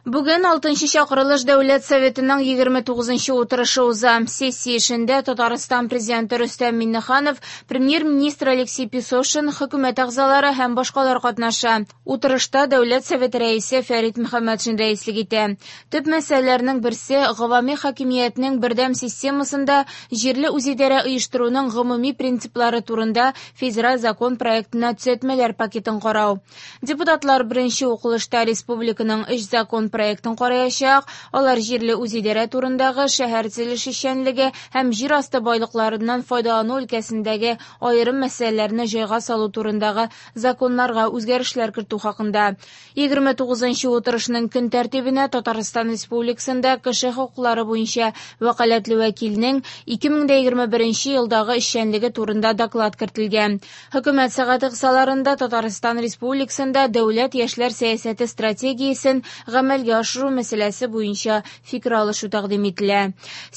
Бүген 6нчы чакырылыш Дәүләт Советының 29нчы утырышы уза. Сессия эшендә Татарстан Президенты Рөстәм Миңнеханов, Премьер-министр Алексей Песошин, хөкүмәт әгъзалары һәм башкалар катнаша. Утырышта Дәүләт Советы рәисе Фәрит Мөхәммәтшин рәислек итә. Төп мәсьәләләрнең берсе гавами хакимиятнең бердәм системасында җирле үзидарә оештыруның гомуми принциплары турында федераль закон проектына төзәтмәләр пакетын карау. Депутатлар беренче укылышта республиканың өч закон проектын караячак. Алар җирле үзидарә турындагы, шәһәр төзелеше эшчәнлеге һәм җир асты байлыкларыннан файдалану өлкәсендәге аерым мәсьәләләрне җайга салу турындагы законнарга үзгәрешләр кертү хакында. 29нчы утырышның көн тәртибенә Татарстан Республикасында кеше хокуклары буенча вәкаләтле вәкилнең 2021 елдагы эшчәнлеге турында доклад кертелгән. Хөкүмәт сәгате кысаларында Татарстан Республикасында дәүләт яшьләр сәясәте стратегиясен гамәлгә ашыру мәсьәләсе буенча фикер алышу тәкъдим ителә.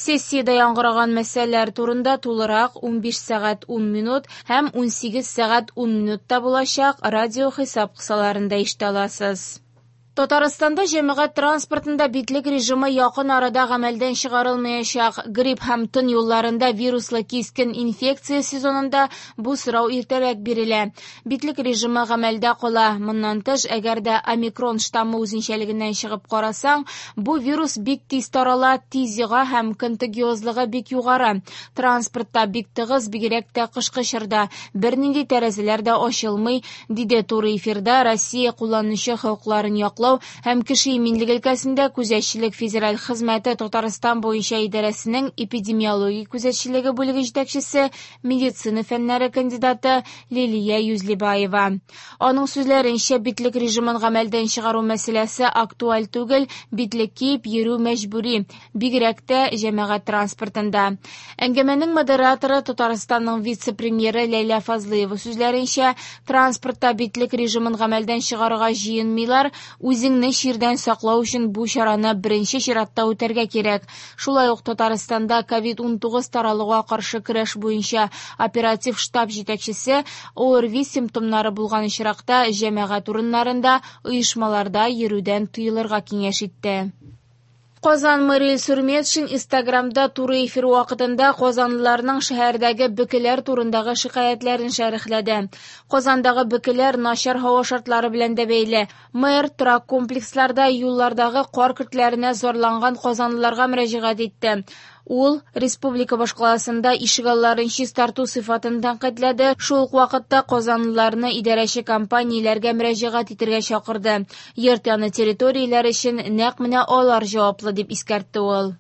Сессиядә яңгыраган мәсьәләләр турында тулырак 15 сәгать 10 минут һәм 18 сәгать 10 минутта булачак радио хисап кысаларында ишетә аласыз. Татарстанда җәмәгать транспортында битлек режимы якын арада гамәлдән чыгарылмаячак. Грипп һәм тын юлларында вируслы кискен инфекция сезонында бу сорау иртәрәк бирелә. Битлек режимы гамәлдә кала. Моннан тыш, әгәр дә омикрон штаммы үзенчәлегеннән чыгып карасаң, бу вирус бик тиз тарала, тиз йога һәм контагиозлыгы бик югары. Транспортта бик тыгыз, бигрәк тә кышкы чорда. Бернинди тәрәзәләр дә ачылмый, диде туры эфирда Россия кулланучы хокукларын яклау һәм кеше иминлеге өлкәсендә күзәтчелек федераль хезмәте Татарстан буенча идарәсенең эпидемиологик күзәтчелеге бүлеге җитәкчесе, медицина фәннәре кандидаты Лилия Юзлибаева. Аның сүзләренчә, битлек режимын гамәлдән чыгару мәсьәләсе актуаль түгел, битлек киеп йөрү мәҗбүри, бигрәк тә җәмәгать транспортында. Әңгәмәнең модераторы Татарстанның вице-премьеры Ләйлә Фазлыева сүзләренчә, транспортта битлек режимын гамәлдән чыгарырга җыенмыйлар, үзеңне чирдән саклау өчен бу чараны беренче чиратта үтәргә кирәк. Шулай ук Татарстанда ковид-19 таралуга каршы көрәш буенча оператив штаб җитәкчесе ОРВИ симптомнары булган очракта җәмәгать урыннарында, оешмаларда йөрүдән тыелырга киңәш итте. Казан мэры Илсур Метшин Инстаграмда туры эфир вакытында казанлыларның шәһәрдәге бөкеләр турындагы шикаятьләрен шәрехләде. Казандагы бөкеләр начар һава шартлары белән дә бәйле. Мэр торак комплексларда юллардагы кар көртләренә зарланган казанлыларга мөрәҗәгать итте. Ул республика башкаласында ишегалларын чистарту сыйфатын тәнкыйтьләде, шул ук вакытта казанлыларны идарәче компанияләргә мөрәҗәгать итәргә чакырды. Йорт яны территорияләр өчен нәкъ менә алар җаваплы, дип искәртте ул.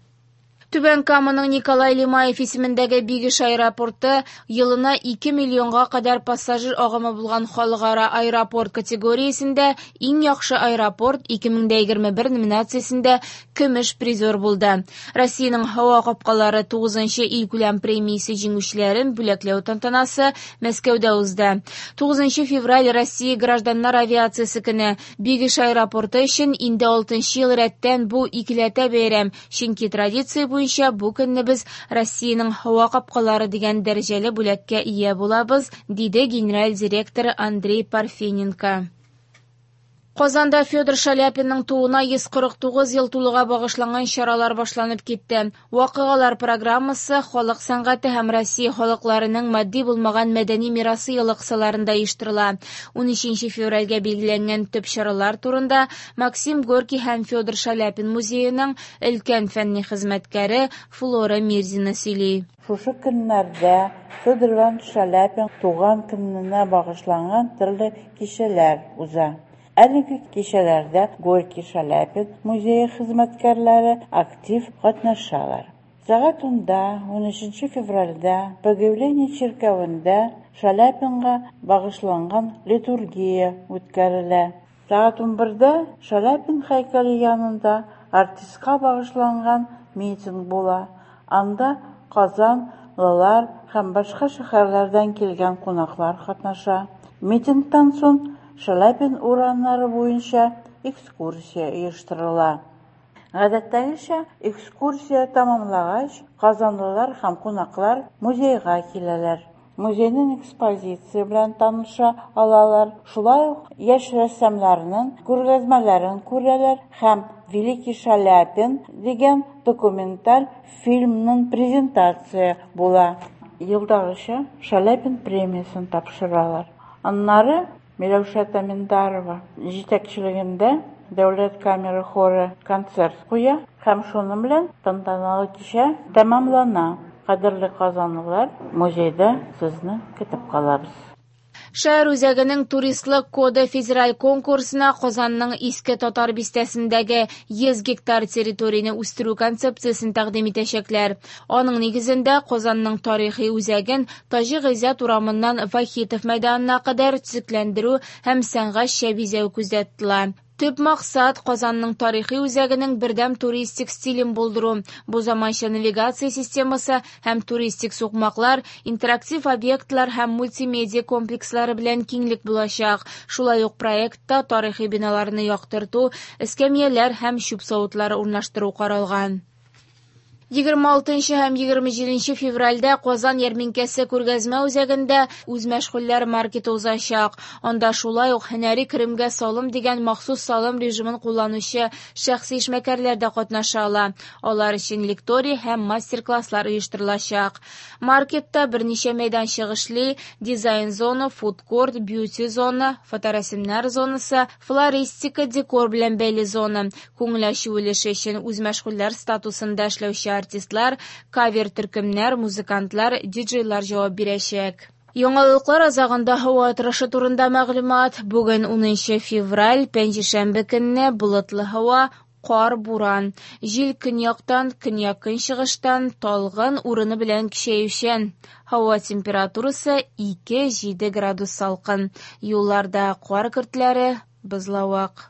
Түбән Каманың Николай Лемаев исемендәге Бигеш аэропорты елына 2 миллионга кадәр пассажир агымы булган халыкара аэропорт категориясендә иң яхшы аэропорт 2021 номинациясендә көмеш призер булды. Россиянең һава капкалары 9нчы илкүләм премиясе җиңүчеләрен бүләкләү тантанасы Мәскәүдә узды. 9 февраль Россия гражданнар авиациясе көне. Бигеш аэропорты өчен инде 6нчы ел рәттән бу икеләтә бәйрәм, чөнки традиция буенча бу көнне без Россиянең һава капкалары дигән дәрәҗәле бүләккә ия булабыз, диде генераль директор Андрей Парфененко. Казанда Федор Шаляпинның тууына 149 ел тулуга багышланган чаралар башланып китте. Вакыйгалар программасы халык сәнгате һәм Россия халыкларының матди булмаган мәдәни мирасы елы кысаларында оештырыла. 13 февральгә билгеләнгән төп чаралар турында Максим Горький һәм Федор Шаляпин музееның өлкән фәнни хезмәткәре Флора Мирзина сөйли. Шушы көннәрдә Федор Иванович Шаляпин туган көненә багышланган төрле кичәләр уза. Әлеге кичәләрдә Горький Шаляпин музее хезмәткәрләре актив катнашалар. Сәгать 10-да, 13 февральдә Богоявление чиркәвендә Шаляпинга багышланган литургия үткәрелә. Сәгать 11-дә Шаляпин һәйкәле янында артистка багышланган митинг була. Анда Казан, лылар һәм башка шәһәрләрдән килгән кунаклар катнаша. Митингтан соң Шаляпин урамнары буенча экскурсия оештырыла. Гадәттәгечә, экскурсия тәмамлагач, казанлылар һәм кунаклар музейга киләләр. Музейның экспозиция белән таныша алалар, шулай ук яшь рәссамнарның күргәзмәләрен күрәләр һәм «Великий Шаляпин» дигән документаль фильмның презентация була. Елдагыча Шаляпин премиясен тапшыралар. Аннары Миләүшә Таминдарова җитәкчелегендә Дәүләт камера хоры концерт куя һәм шуның белән тантаналы кичә тәмамлана. Кадерле казанлылар, музейда сезне көтеп калабыз. Шәһәр үзәгенең туристлык коды федераль конкурсына Казанның Иске Татар бистәсендәге 100 гектар территорияне үстерү концепциясен тәкъдим итәчәкләр. Аның нигезендә Казанның тарихи үзәген Таҗи Гыйззәт урамыннан Вахитов мәйданына кадәр төзекләндерү һәм сәнгатьчә бизәү күздә тотыла. Төп максат Казанның тарихи үзәгенең бердәм туристик стилен булдыру. Бу заманча навигация системасы һәм туристик сукмаклар, интерактив объектлар һәм мультимедиа комплекслары белән киңлек булачак. Шулай ук проектта тарихи биналарны яктырту, эскәмияләр һәм чүп савытлары урнаштыру каралган. 26 һәм 27 февральдә Казан ярминкәсе күргәзмә үзәгендә үзмәшгульләр маркеты узачак. Анда шулай ук һөнәри керемгә салым дигән махсус салым режимын кулланучы шәхси эшмәкәрләр дә катнаша ала. Алар өчен лекторий һәм мастер-класслар оештырылачак. Маркетта берничә мәйданчык эшли: дизайн-зона, фуд-корт, бьюти-зона, фоторәсемнәр зонасы, флористика, декор белән бәйле зона. Күңел ачу өлеше өчен үзмәшгульләр статусында эшләүче артистлар, кавер төркемнәр, музыкантлар, диджейлар җавап бирәчәк. Яңалыклар азагында һава торышы турында мәгълүмат. Бүген 10 февраль, пәнҗешәмбе көнне болытлы һава, кар, буран. Җил көньяктан, көньяк-көнчыгыштан, талгын, урыны белән көчәючән. Һава температурасы 2-7 градус салкын. Юлларда кар көртләре, бозлавык.